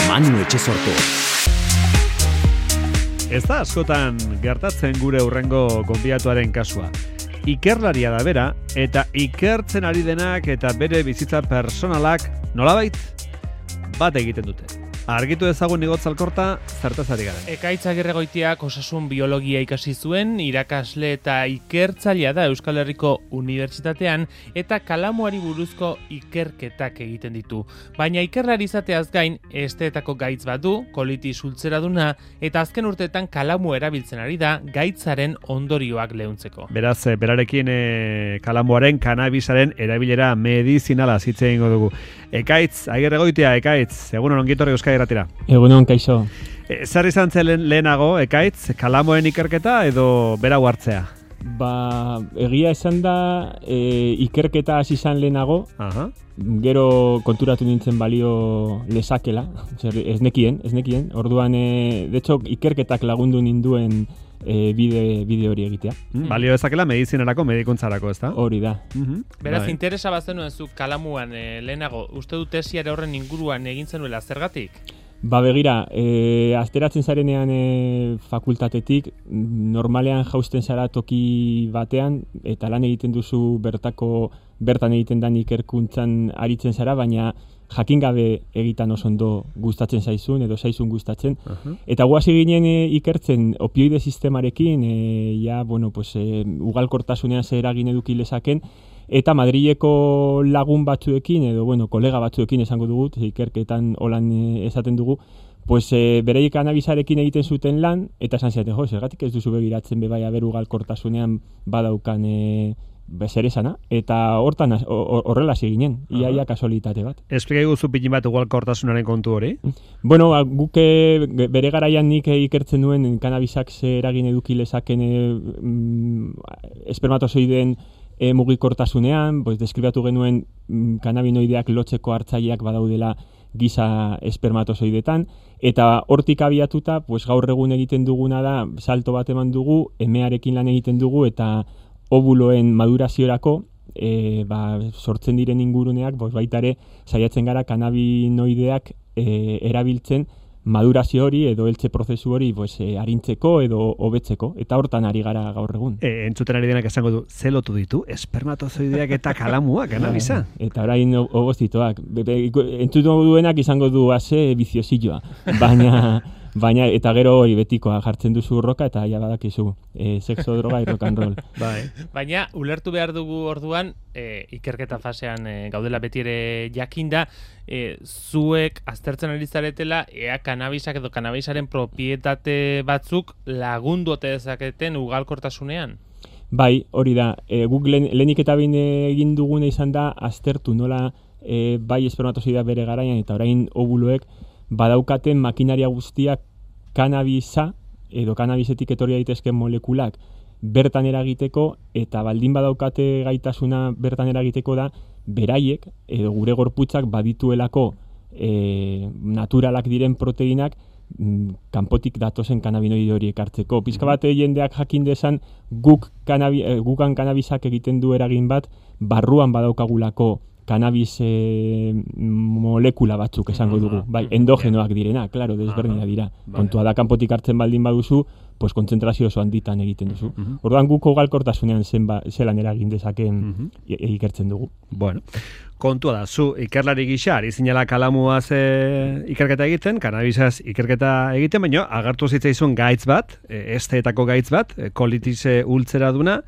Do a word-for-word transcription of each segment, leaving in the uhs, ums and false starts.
Manu Etxesorto. Ez da askotan gertatzen gure hurrengo gonbidatuaren kasua. Ikerlaria da bera, eta ikertzen ari denak eta bere bizitza personalak nolabait bat egiten dute. Argitu ezagun Igotz Alkorta, zertaz ari garen. Ekaitz Agirregoitiak osasun biologia ikasi zuen, irakasle eta ikertzailea da Euskal Herriko Unibertsitatean eta kalamuari buruzko ikerketak egiten ditu. Baina ikerlari izateaz gain, esteetako gaitz bat du, kolitis ultzeraduna, eta azken urteetan kalamu erabiltzen ari da gaitzaren ondorioak leuntzeko. Beraz, berarekin e, kalamuaren, kanabisaren erabilera medizinala hitz egingo dugu. Ekaitz Agirregoitia, Ekaitz, egunon ongi etorri Euskal Irratira. Egunon, kaixo. E, zer izan zen lehenago, Ekaitz, kalamoen ikerketa edo berau hartzea? Ba, egia esan da, e, ikerketa hasi izan lehenago, Aha. Gero konturatu nintzen balio lezakela, ez nekien, ez nekien. Orduan, e, de hecho, ikerketak lagundu ninduen e, bide, bide hori egitea. Mm, balio dezakela medizinerako, medikuntzarako, ez da? Hori da. Mm-hmm. Beraz, Bai. interesa bazenuen zu kalamuan e, lehenago, uste du tesiare horren inguruan egin zenuela, zergatik? Ba begira, e, azteratzen zarenean e, fakultatetik, normalean jausten zara toki batean, eta lan egiten duzu bertako, bertan egiten dan ikerkuntzan aritzen zara, baina jakin gabe egitan oso ondo gustatzen zaizun, edo zaizun gustatzen. Uh-huh. Eta guazi ginen e, ikertzen opioide sistemarekin, e, ja, bueno, pues, e, ugalkortasunean zer eragin eduki lezaken, eta Madrileko lagun batzuekin, edo, bueno, kolega batzuekin esango dugu, ikerketan holan esaten dugu, pues, e, bereik kanabisarekin egiten zuten lan, eta esan ziaten, jo, zergatik ez duzu begiratzen bebai aberugalkortasunean badaukan e, zer esana, eta hortan horrela ginen, iaia kasualitate bat. Esplika guzu pitin bat ugalkortasunaren kontu hori? Bueno, guke bere garaian nik ikertzen duen kanabisak zer eragin eduki lezaken e, mm, espermatozoideen E, mugikortasunean, pues, deskribatu genuen mm, kanabinoideak lotzeko hartzaileak badaudela giza espermatozoidetan, eta hortik abiatuta, pues, gaur egun egiten duguna da, salto bat eman dugu, emearekin lan egiten dugu, eta ovuloen maduraziorako, e, ba, sortzen diren inguruneak, pues, baita ere, saiatzen gara kanabinoideak e, erabiltzen, madurazio hori edo heltze prozesu hori pues, e, arintzeko edo hobetzeko, eta hortan ari gara gaur egun. E, entzuten ari denak esango du, ze lotu ditu, espermatozoideak eta kalamua, kanabisa? Eta orain hobozitoak. Entzuten duenak izango du ase biziosilloa, baina, baina eta gero hori betikoa jartzen duzu urroka eta ja badakizu, e, sexo, droga, rock and roll. Bai. Baina, ulertu behar dugu orduan, e, ikerketa fasean e, gaudela beti ere jakinda, e, zuek aztertzen ari zaretela, ea kanabisak edo kanabisaren propietate batzuk lagundu ote dezaketen ugalkortasunean? Bai, hori da. E, guk lehenik eta bain egin duguna izan da, aztertu nola e, bai espermatozoidea bere garaian eta orain ovuloek badaukaten makinaria guztiak kanabisa edo kanabisetik etorri daitezken molekulak bertan eragiteko, eta baldin badaukate gaitasuna bertan eragiteko da beraiek edo gure gorputzak badituelako e, naturalak diren proteinak m, kanpotik datozen kanabinoide horiek hartzeko. Pizka bat jendeak jakin desan guk kanabi, e, gukan kanabisak egiten du eragin bat barruan badaukagulako kanabis e, molekula batzuk esango dugu, bai, endogenoak direna, claro, desberdina dira. Kontua da kanpotik hartzen baldin baduzu, pues kontzentrazio oso handitan egiten duzu. Orduan guk ugalkortasunean zenba zelan eragin dezaken ikertzen dugu. Bueno, kontua da, zu ikerlari gisa ari zinela kalamuaz e, ikerketa egiten, kanabisaz ikerketa egiten, baina agertu zitzaizun gaitz bat, e, esteetako gaitz bat, e, kolitis ultzera duna,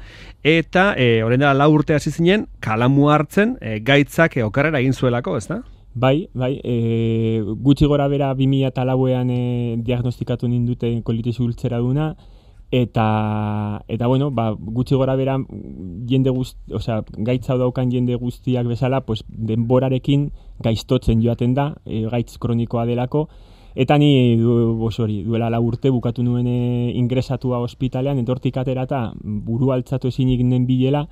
eta e, orain dela lau urte hasi zinen kalamu hartzen e, gaitzak e, okarrera egin zuelako, ez da? Bai, bai, e, gutxi gora bera bi mila lauean e, diagnostikatu nindute kolitis ultzera duna, eta, eta bueno, ba, gutxi gora bera jende guzti, osea, gaitza daukan jende guztiak bezala, pues, denborarekin gaiztotzen joaten da, e, gaitz kronikoa delako, eta ni du, hori, duela lau urte bukatu nuen e, ingresatua ospitalean, entortik aterata buru altzatu ezinik nen bilela,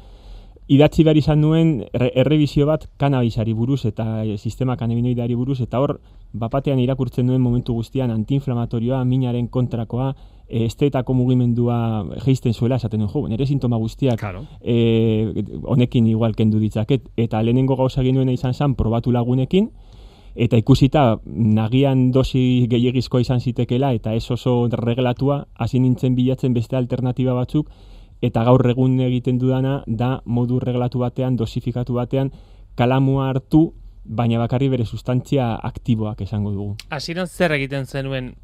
idatzi behar izan nuen errebizio bat kanabisari buruz eta e, sistema kanabinoideari buruz, eta hor bapatean irakurtzen duen momentu guztian antiinflamatorioa, minaren kontrakoa, e, esteetako mugimendua jeisten zuela esaten duen, jo, nire sintoma guztiak claro. e, honekin igual kendu ditzaket, eta lehenengo gauza genuena izan zen probatu lagunekin, eta ikusita nagian dosi gehiagizkoa izan zitekela eta ez oso reglatua, hasi nintzen bilatzen beste alternatiba batzuk, eta gaur egun egiten dudana da modu reglatu batean, dosifikatu batean, kalamua hartu, baina bakarri bere sustantzia aktiboak esango dugu. Hasieran zer egiten zenuen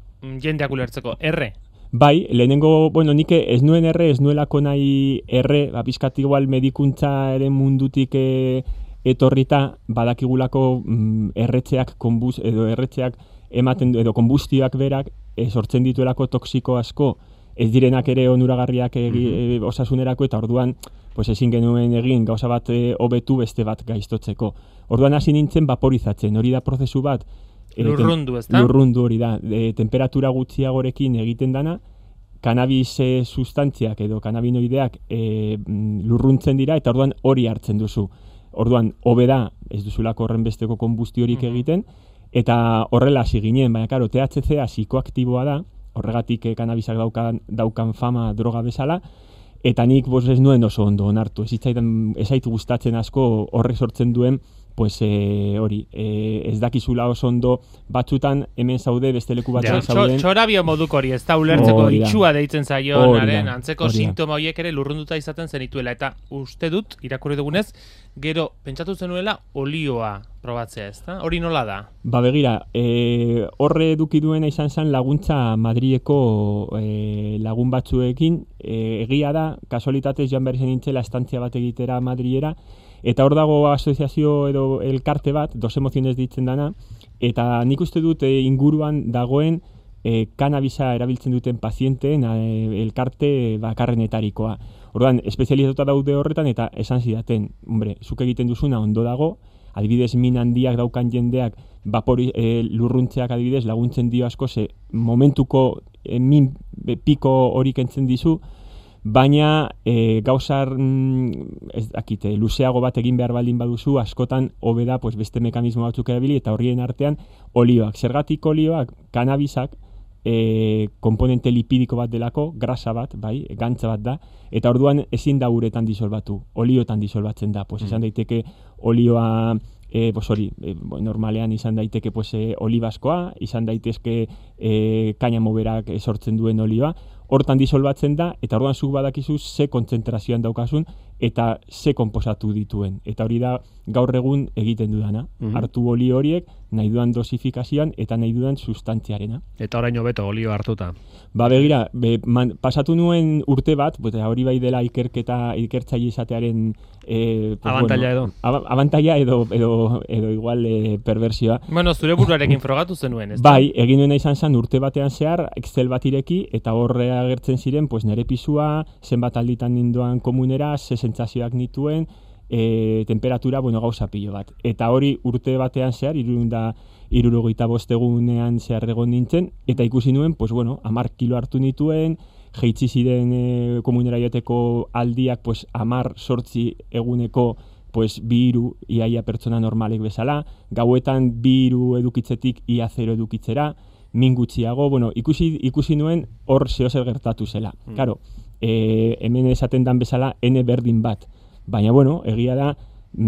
jendeak ulertzeko? Erre? Bai, lehenengo, bueno, nik ez nuen erre, ez nuelako nahi erre, ba, pizkat igual medikuntzaren mundutik e, etorrita, badakigulako mm, erretxeak, konbuz, edo erretxeak ematen, edo konbustioak berak, e, sortzen dituelako toksiko asko, ez direnak ere onuragarriak egi, e, osasunerako, eta orduan, pues ezin genuen egin gauza bat hobetu beste bat gaiztotzeko. Orduan hasi nintzen vaporizatzen, hori da prozesu bat, lurrundu, ez da? Lurrundu hori da, e, temperatura gutxiagorekin egiten dana, kanabis e, sustantziak edo kanabinoideak e, lurruntzen dira, eta orduan hori hartzen duzu. Orduan, hobe da, ez duzulako horren besteko konbustiorik Mhm. egiten, eta horrela hasi ginen, baina karo, T H C a psikoaktiboa da, horregatik e, kanabisak daukan, daukan fama droga bezala, eta nik bos ez nuen oso ondo onartu, ez zitzaidan, ez zait gustatzen asko horrek sortzen duen, pues e, hori, e, ez dakizula oso ondo batzutan hemen zaude beste leku batzuan Ja, zauden. txorabio moduko hori, ez da ulertzeko Hori da. itxua deitzen Hori zaionaren da, antzeko hori da. sintoma horiek ere lurrunduta izaten zenituela, eta uste dut, irakurri dugunez, gero pentsatu zenuela olioa probatzea, ez da? Hori nola da? Ba begira, e, horre eduki duena izan zen laguntza Madrileko e, lagun batzuekin, e, egia da, kasualitatez joan behar izan nintzela estantzia bat egitera Madrilera, eta hor dago asoziazio edo elkarte bat, Dos Emoziones ditzen dana, eta nik uste dut e, inguruan dagoen e, kanabisa erabiltzen duten pazienteen e, elkarte bakarrenetarikoa. Orduan, espezializatuta daude horretan, eta esan zidaten, hombre, zuk egiten duzuna ondo dago, adibidez min handiak daukan jendeak vapori, e, lurruntzeak adibidez laguntzen dio asko, ze momentuko e, min e, piko hori kentzen dizu, baina e, gauzar mm, ez dakite, luzeago bat egin behar baldin baduzu, askotan hobe da pues, beste mekanismo batzuk erabili, eta horien artean olioak. Zergatik olioak, kanabisak, e, komponente lipidiko bat delako, grasa bat, bai, gantza bat da, eta orduan ezin da uretan disolbatu, oliotan disolbatzen da, pues, esan daiteke olioa, e, pues, hori, e, normalean izan daiteke pues, e, olibaskoa, izan daitezke e, kainamo berak sortzen duen olioa, hortan disolbatzen da, eta orduan zuk badakizu ze kontzentrazioan daukasun, eta ze konposatu dituen. Eta hori da gaur egun egiten dudana. Mhm. Hartu oli horiek, nahi dudan dosifikazioan, eta nahi dudan sustantziarena. Eta orain hobeto olio hartuta. Ba begira, be, man, pasatu nuen urte bat, eta hori bai dela ikerketa, ikertzaile izatearen eh, pues, Abantaila bueno, edo. Ab abantaila edo, edo, edo igual eh, perversioa. Bueno, zure buruarekin frogatu zenuen, ez da? Bai, egin nuena izan zen urte batean zehar, Excel bat ireki, eta horre agertzen ziren, pues, nere pisua, zenbat alditan nindoan komunera, ze sentsazioak nituen, e, temperatura, bueno, gauza pilo bat. Eta hori urte batean zehar, irunda, irurogeita bostegunean zehar egon nintzen, eta ikusi nuen, pues, bueno, amar kilo hartu nituen, jeitsi ziren e, komunera joteko aldiak, pues, amar sortzi eguneko, pues, bi hiru iaia pertsona normalek bezala, gauetan bi hiru edukitzetik ia zero edukitzera, min gutxiago, bueno, ikusi, ikusi nuen hor zehozer gertatu zela. Mm. Claro, e, hemen esaten dan bezala N berdin bat, baina, bueno, egia da,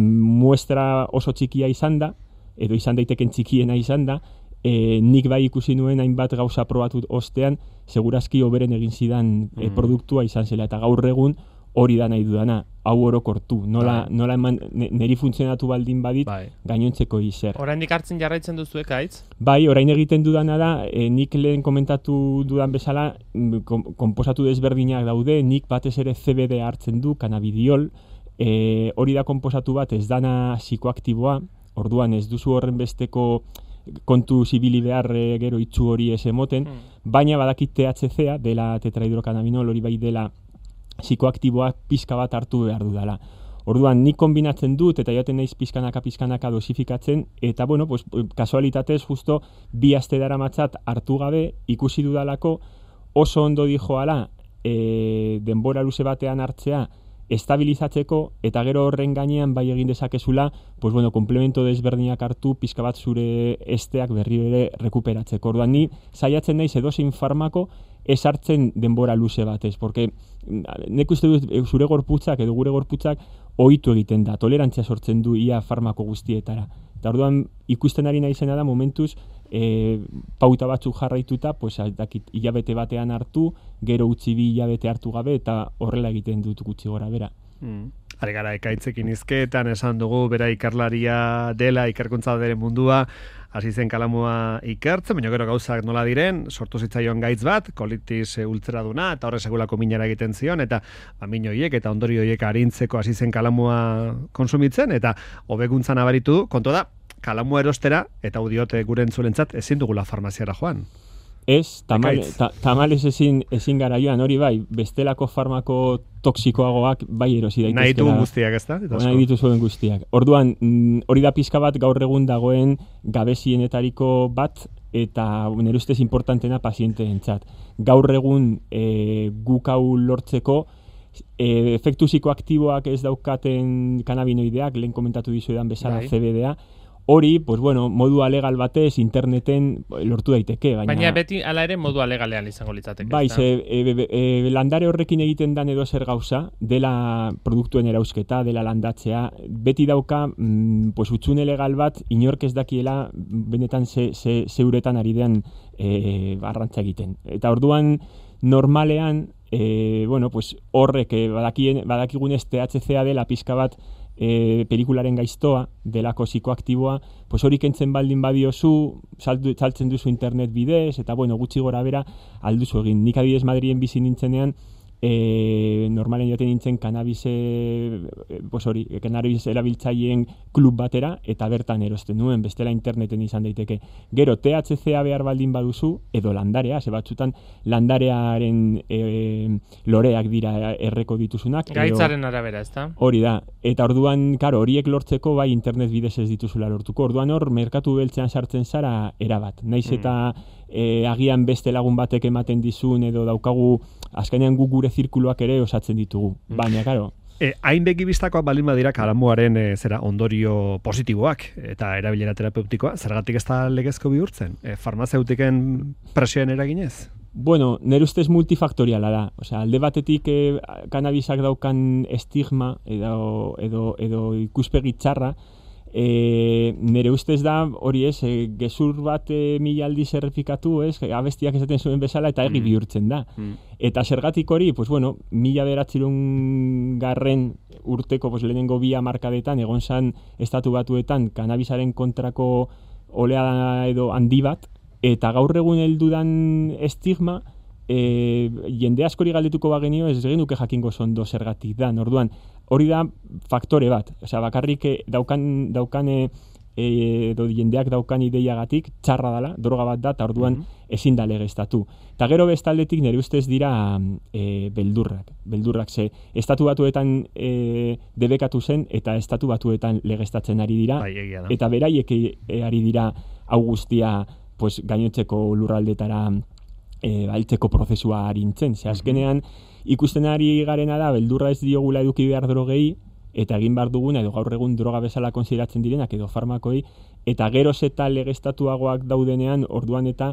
muestra oso txikia izan da, edo izan daiteken txikiena izan da, e, nik bai ikusi nuen hainbat gauza probatu ostean, segurazki hoberen egin zidan e, Mm. produktua izan zela, eta gaur egun hori da nahi dudana, hau orokortu, nola, Bai. nola eman, ne- neri funtzionatu baldin badit, Bai. gainontzeko izer. Oraindik hartzen jarraitzen duzu ekaitz? Bai, orain egiten dudana da, e, nik lehen komentatu dudan bezala, mm, kom, konposatu desberdinak daude, nik batez ere C B D hartzen du, cannabidiol, e, hori da konposatu bat ez dana psikoaktiboa, orduan ez duzu horren besteko kontu zibili behar e, gero itxu hori ez emoten, Hmm. baina badakit T H C a, dela tetrahidrocannabinol, hori bai dela psikoaktiboa pizka bat hartu behar dudala. Orduan, nik kombinatzen dut, eta jaten naiz pizkanaka pizkanaka dosifikatzen, eta bueno, pues, kasualitatez justo bi aste daramatzat hartu gabe, ikusi dudalako oso ondo dijoala e, denbora luze batean hartzea, estabilizatzeko, eta gero horren gainean bai egin dezakezula, pues bueno, komplemento desberdinak hartu, pizka bat zure esteak berri ere rekuperatzeko. Orduan, ni saiatzen naiz edozein farmako ez hartzen denbora luze batez, porque nek uste dut zure gorputzak edo gure gorputzak ohitu egiten da, tolerantzia sortzen du ia farmako guztietara. Eta orduan ikusten ari naizena da momentuz e, pauta batzuk jarraituta, pues, dakit, hilabete batean hartu, gero utzi bi hilabete hartu gabe, eta horrela egiten dut gutxi gora bera. Mm. Ari gara, ekaitzekin izketan esan dugu, bera ikerlaria dela, ikerkuntza dere mundua, hasi zen kalamua ikertzen, baina gero gauzak nola diren, sortu zitzaion gaitz bat, kolitis ultraduna, eta horre segulako minara egiten zion, eta ba, min horiek eta ondori horiek arintzeko hasi zen kalamua konsumitzen, eta hobekuntzan abaritu, kontu da, kalamua erostera, eta udiote gure entzulentzat, ezin dugula farmaziara joan. Ez, tamal, ta, tamales ezin, ezin gara joan, hori bai, bestelako farmako toksikoagoak bai erosi daitezkela. Nahi du guztiak, ez da? Nahi dituzuen guztiak. Orduan, hori da pizka bat gaur egun dagoen gabezienetariko bat, eta nire ustez importantena pazienteentzat. Gaur egun e, guk hau lortzeko, e, efektu psikoaktiboak ez daukaten kanabinoideak, lehen komentatu dizuedan bezala C B D A, hori, pues bueno, modu alegal batez interneten lortu daiteke. Baina, baina beti ala ere modu alegalean izango litzateke. Bai, ze, e, e, e, landare horrekin egiten dan edo zer gauza, dela produktuen erausketa, dela landatzea, beti dauka, mm, pues utzune legal bat, inork ez dakiela benetan ze, ze, ze uretan ari den e, arrantza egiten. Eta orduan, normalean, e, bueno, pues horrek e, badakien, badakigunez T H C A dela pizka bat, E, pelikularen gaiztoa, delako psikoaktiboa, pues hori kentzen baldin badiozu, saltzen duzu internet bidez, eta bueno, gutxi gora bera, alduzu egin. Nik adibidez Madrien bizi nintzenean, e, normalen joaten nintzen kanabise, pues hori, kanabis erabiltzaileen klub batera, eta bertan erosten nuen, bestela interneten izan daiteke. Gero, T H C A behar baldin baduzu, edo landarea, ze batzutan landarearen e, loreak dira erreko dituzunak. Gaitzaren arabera, ez da? Hori da, eta orduan, karo, horiek lortzeko bai internet bidez ez dituzula lortuko. Orduan hor, merkatu beltzean sartzen zara erabat. Naiz eta e, agian beste lagun batek ematen dizun edo daukagu, azkenean gu gure zirkuluak ere osatzen ditugu. Baina, karo, E, hain begibistakoak balin badira kalamuaren e, zera ondorio positiboak eta erabilera terapeutikoa, zergatik ez da legezko bihurtzen? E, farmazeutiken presioen eraginez? Bueno, nire ustez multifaktoriala da. Osea, alde batetik e, kanabisak daukan estigma edo, edo, edo ikuspegi txarra, e, nire ustez da hori ez, e, gezur bat e, mila aldiz errefikatu, ez, abestiak esaten zuen bezala eta egi bihurtzen da. Mm. Eta zergatik hori, pues bueno, mila beratzerun garren urteko pues, lehenengo bi hamarkadetan egon zan estatu batuetan kanabisaren kontrako oleada edo handi bat, eta gaur egun heldudan estigma, e, jende askori galdetuko bagenio ez genuke jakingo zondo zergatik da. Orduan, hori da faktore bat. Osea, bakarrik daukan, daukan e, edo jendeak daukan ideiagatik txarra dela, droga bat da, eta orduan mm-hmm. ezin da legeztatu. Eta gero bestaldetik nire ustez dira e, beldurrak. Beldurrak ze, estatu batuetan e, debekatu zen, eta estatu batuetan legeztatzen ari dira, bai, eta beraiek e, ari dira hau guztia pues, gainotzeko lurraldetara e, altzeko prozesua harintzen. Ze azkenean, ikusten ari garena da, beldurra ez diogula eduki behar drogei, eta egin behar duguna, edo gaur egun droga bezala konsideratzen direnak, edo farmakoi, eta geroz eta legeztatuagoak daudenean, orduan eta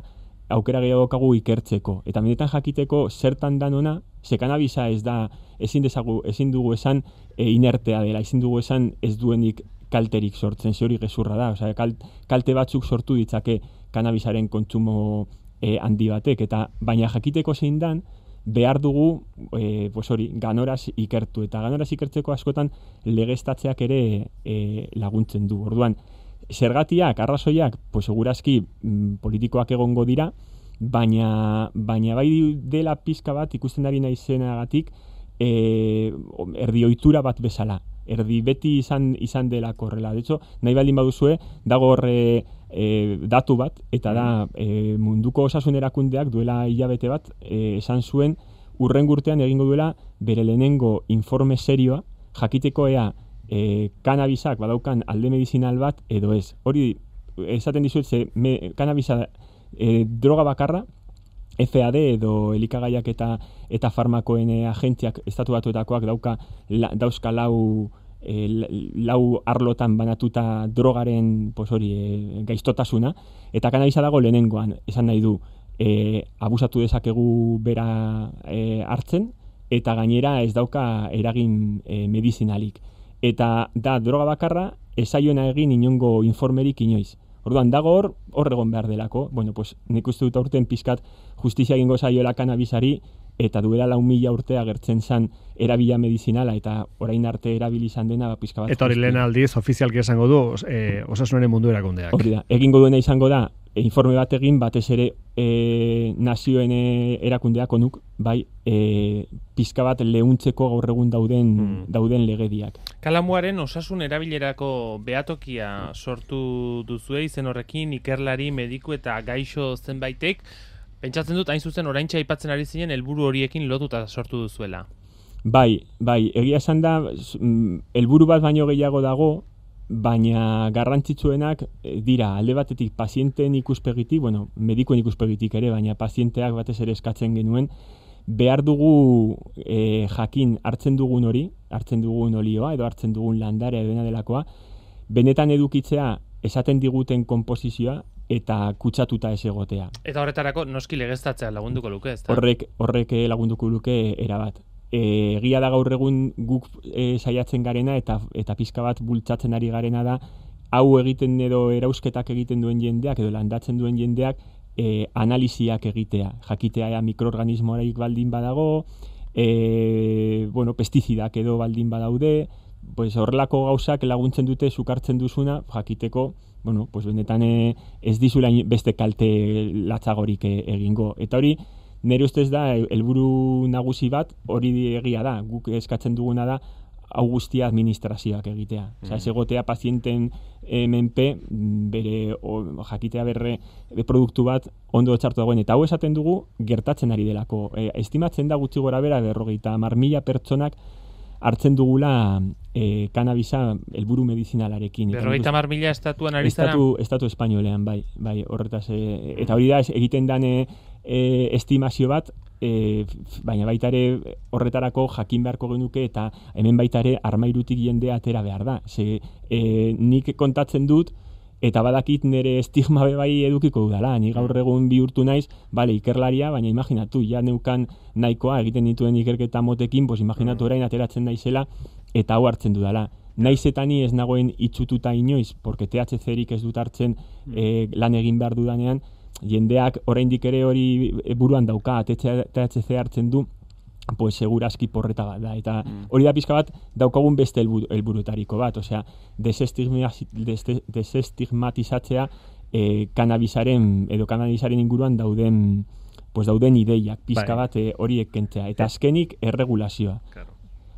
aukera gehiagokagu ikertzeko. Eta benetan jakiteko zertan dan ona, ze kanabisa ez da, ezin dezagu, ezin dugu esan e, inertea dela, ezin dugu esan ez duenik kalterik sortzen, ze hori gezurra da. Osea, kal, kalte batzuk sortu ditzake kanabisaren kontsumo e, handi batek, eta baina jakiteko zein dan, behar dugu, e, pues hori, ganoraz ikertu, eta ganoraz ikertzeko askotan legeztatzeak ere e, laguntzen du. Orduan, zergatiak, arrazoiak, pues segurazki mm, politikoak egongo dira, baina, baina bai dela pizka bat ikusten ari naizenagatik e, erdi ohitura bat bezala. Erdi beti izan izan dela korrela. De hecho, nahi baldin baduzue, dago horre e, datu bat, eta da e, munduko osasun erakundeak duela hilabete bat, e, esan zuen urrengo urtean egingo duela bere lehenengo informe serioa, jakiteko ea e, kanabisak badaukan alde medizinal bat edo ez. Hori esaten dizuet, ze me, kanabisa e, droga bakarra, F A D edo elikagaiak eta eta farmakoen agentziak estatu batuetakoak dauka la, dauzka lau e, lau arlotan banatuta drogaren pues hori e, gaiztotasuna, eta kanabisa dago lehenengoan, esan nahi du e, abusatu dezakegu bera e, hartzen, eta gainera ez dauka eragin e, medizinalik. eta da droga bakarra esaioena egin inongo informerik inoiz. Orduan, dago hor, hor egon behar delako. Bueno, pues, nik uste dut aurten pizkat justizia egingo zaioela kanabisari, eta duela lau mila urte agertzen zan erabila medizinala, eta orain arte erabili izan dena, ba, pizka bat. Eta hori lehen aldiz, ofizialki esango du, e, osasunaren mundu erakundeak. Hori da, egingo duena izango da, e, informe bat egin, batez ere e, nazioen e, erakundeak onuk, bai, e, pizka bat lehuntzeko gaur egun dauden, mm. dauden legediak. Kalamuaren osasun erabilerako behatokia sortu duzue izen horrekin, ikerlari, mediku eta gaixo zenbaitek, pentsatzen dut, hain zuzen, oraintxe aipatzen ari zinen, helburu horiekin lotuta sortu duzuela. Bai, bai, egia esan da, helburu bat baino gehiago dago, baina garrantzitsuenak dira, alde batetik pazienteen ikuspegitik, bueno, medikuen ikuspegitik ere, baina pazienteak batez ere eskatzen genuen, behar dugu e, jakin hartzen dugun hori, hartzen dugun olioa, edo hartzen dugun landarea edo dena delakoa, benetan edukitzea esaten diguten konposizioa, eta kutsatuta ez egotea. Eta horretarako noski legeztatzea lagunduko luke, ezta? Horrek, horrek lagunduko luke erabat. E, egia da gaur egun guk e, saiatzen garena eta eta pizka bat bultzatzen ari garena da hau egiten edo erausketak egiten duen jendeak edo landatzen duen jendeak e, analiziak egitea. Jakitea ea mikroorganismoarik baldin badago, e, bueno, pestizidak edo baldin badaude, pues horrelako gauzak laguntzen dute zukartzen duzuna jakiteko, bueno, pues benetan e, ez dizula beste kalte latzagorik e, egingo. Eta hori, nire ustez da, helburu nagusi bat, hori egia da, guk eskatzen duguna da, hau guztia administrazioak egitea. Mm. Osa, ez egotea pazienten e, menpe, bere, o, jakitea berre, de produktu bat ondo txartu dagoen. Eta hau esaten dugu, gertatzen ari delako. E, estimatzen da gutxi gora bera, berrogeita hamar mila pertsonak hartzen dugula e, kanabisa helburu medizinalarekin. Berrogeita hamar mila estatuan ari zara? Estatu, estatu espainolean, bai, bai, horretaz. E, eta hori da, egiten dane e, estimazio bat, e, baina baita ere horretarako jakin beharko genuke eta hemen baita ere armairutik jendea atera behar da. Ze, e, nik kontatzen dut, eta badakit nire estigma bai edukiko dudala. Ni gaur egun bihurtu naiz, bale, ikerlaria, baina imaginatu, ja neukan nahikoa egiten dituen ikerketa motekin, pues imaginatu orain ateratzen naizela, eta hau hartzen dudala. Naiz eta ni ez nagoen itxututa inoiz, porque T H C-erik ez dut hartzen e, lan egin behar dudanean, jendeak oraindik ere hori buruan dauka, T H C hartzen du, pues segurazki porreta bat da. Eta mm. hori da pizka bat daukagun beste helburutariko bat, osea, desestigmatizatzea eh, kanabisaren edo kanabisaren inguruan dauden pues dauden ideiak pizka bat eh, horiek kentzea. Eta azkenik erregulazioa. Claro.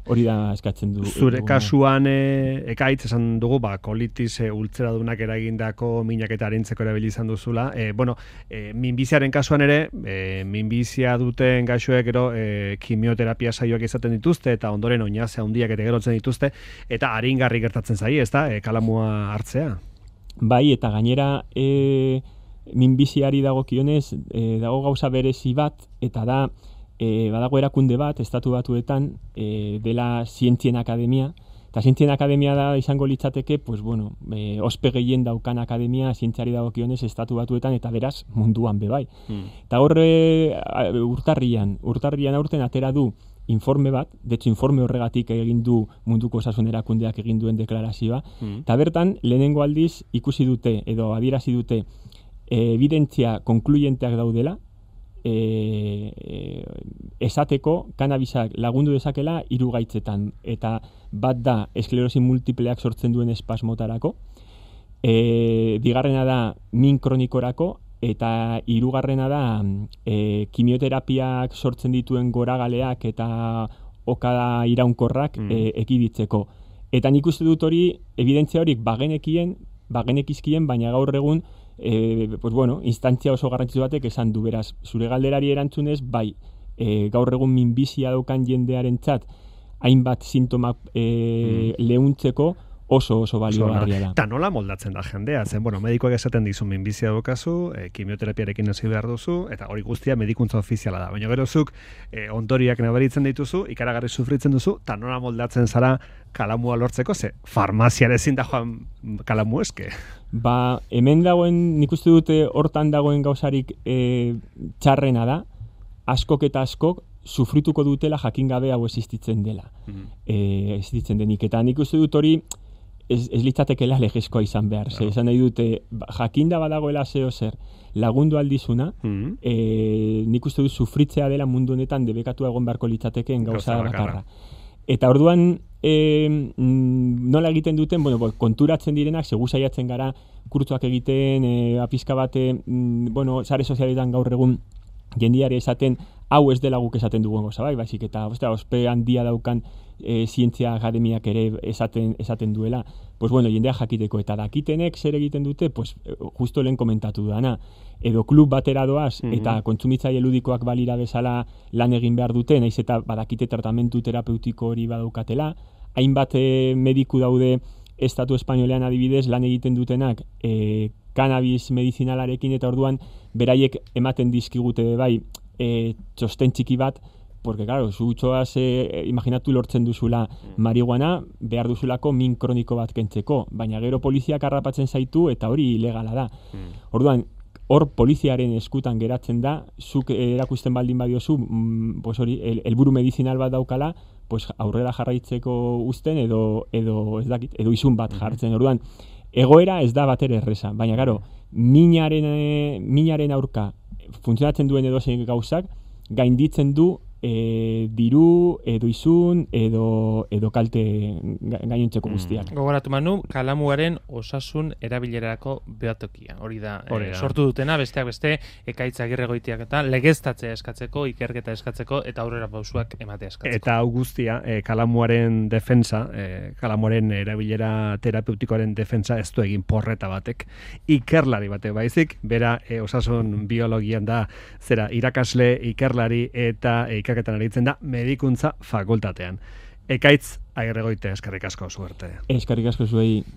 Hori da eskatzen du. Zure kasuan e, ekaitz esan dugu, ba, kolitis e, ultzeradunak eragindako minak eta arintzeko erabili izan duzula. E, bueno, e, minbiziaren kasuan ere, e, minbizia duten gaixoek ero e, kimioterapia saioak izaten dituzte, eta ondoren oinazea handiak eta gerotzen dituzte, eta aringarri gertatzen zai, ez da, e, kalamua hartzea? Bai, eta gainera e, minbiziari dagokionez, e, dago gauza berezi bat, eta da, E, badago erakunde bat, estatu batuetan, e, dela Zientzien Akademia, eta Zientzien Akademia da izango litzateke, pues bueno, e, ospe gehien daukan akademia zientziari dagokionez estatu batuetan, eta beraz munduan bebai. Mm. Eta horre urtarrian, urtarrian aurten atera du informe bat, detxo informe horregatik egin du munduko osasun erakundeak egin duen deklarazioa, mm. eta bertan lehenengo aldiz ikusi dute, edo adierazi dute, e, evidentzia konkluyenteak daudela, E, e, esateko kanabisak lagundu dezakela hiru gaitzetan, eta bat da esklerosi multipleak sortzen duen espasmotarako, e, bigarrena da min kronikorako, eta hirugarrena da e, kimioterapiak sortzen dituen goragaleak eta okada iraunkorrak mm. e, ekiditzeko. Eta nik uste dut hori, evidentzia horik bagenekien, bagenekizkien, baina gaur egun E, pues bueno, instantzia oso garrantzitsu batek esan du, beraz, zure galderari erantzunez, bai, e, gaur egun minbizia daukan jendearentzat hainbat sintoma e, mm. lehuntzeko oso oso baliogarria da. Eta nola moldatzen da jendea, zen, bueno, medikoak esaten dizu minbizia daukazu, e, kimioterapiarekin hasi behar duzu, eta hori guztia medikuntza ofiziala da. Baina gerozuk, e, ondoriak nabaritzen dituzu, ikaragarri sufritzen duzu, eta nola moldatzen zara kalamua lortzeko, ze farmaziare ezin da joan kalamu eske. Ba, hemen dagoen, nik uste dute hortan dagoen gauzarik e, txarrena da, askok eta askok sufrituko dutela jakin gabe hau existitzen dela. Mm. E, existitzen denik. Eta nik uste dut hori ez, ez litzatekela legezkoa izan behar. Ze, esan nahi dute, jakinda badagoela zeo zer lagundu aldizuna, mm. e, nik uste dut sufritzea dela mundu honetan debekatu egon beharko litzatekeen gauza bakarra. Eta orduan, e, nola egiten duten, bueno, bo, konturatzen direnak, segu saiatzen gara, kurtzuak egiten, e, apizka bate, mm, bueno, sare sozialetan gaur egun, jendiari esaten, hau ez dela guk esaten dugun goza, bai, baizik, eta ostea, ospe handia daukan e, zientzia akademiak ere esaten, esaten duela, pues bueno, jendea jakiteko, eta dakitenek zer egiten dute, pues justo lehen komentatu dana, edo klub batera doaz, mm-hmm. eta kontsumitzaile ludikoak balira bezala lan egin behar dute, naiz eta badakite tratamentu terapeutiko hori badaukatela, hainbat e, mediku daude estatu espainolean adibidez lan egiten dutenak e, cannabis medizinalarekin, eta orduan beraiek ematen dizkigute bai e, txosten txiki bat, porque claro, zu txoaz, e, imaginatu lortzen duzula marihuana, behar duzulako min kroniko bat kentzeko, baina gero poliziak harrapatzen zaitu eta hori ilegala da. Mm. Orduan, hor poliziaren eskutan geratzen da, zuk erakusten baldin badiozu, mm, pues hori, el, helburu medizinal bat daukala, pues aurrera jarraitzeko uzten edo edo ez dakit, edo izun bat jartzen. Orduan, egoera ez da batere erresa, baina claro, minaren e, minaren aurka funtzionatzen duen edozein gauzak gainditzen du e, diru edo izun edo edo kalte gainontzeko guztiak. Mm. Gogoratu Manu, kalamuaren osasun erabilerarako behatokia. Hori da, Hori da. E, sortu dutena, besteak beste, Ekaitz Agirregoitiak eta legeztatzea eskatzeko, ikerketa eskatzeko eta aurrera pausuak ematea eskatzeko. Eta hau guztia, e, kalamuaren defensa, e, kalamuaren erabilera terapeutikoaren defensa ez du egin porreta batek, ikerlari batek baizik, bera e, osasun biologian da, zera, irakasle, ikerlari eta e, ikerketan aritzen da medikuntza fakultatean. Ekaitz Agirregoitia, eskerrik asko zuerte. Eskerrik asko zuei.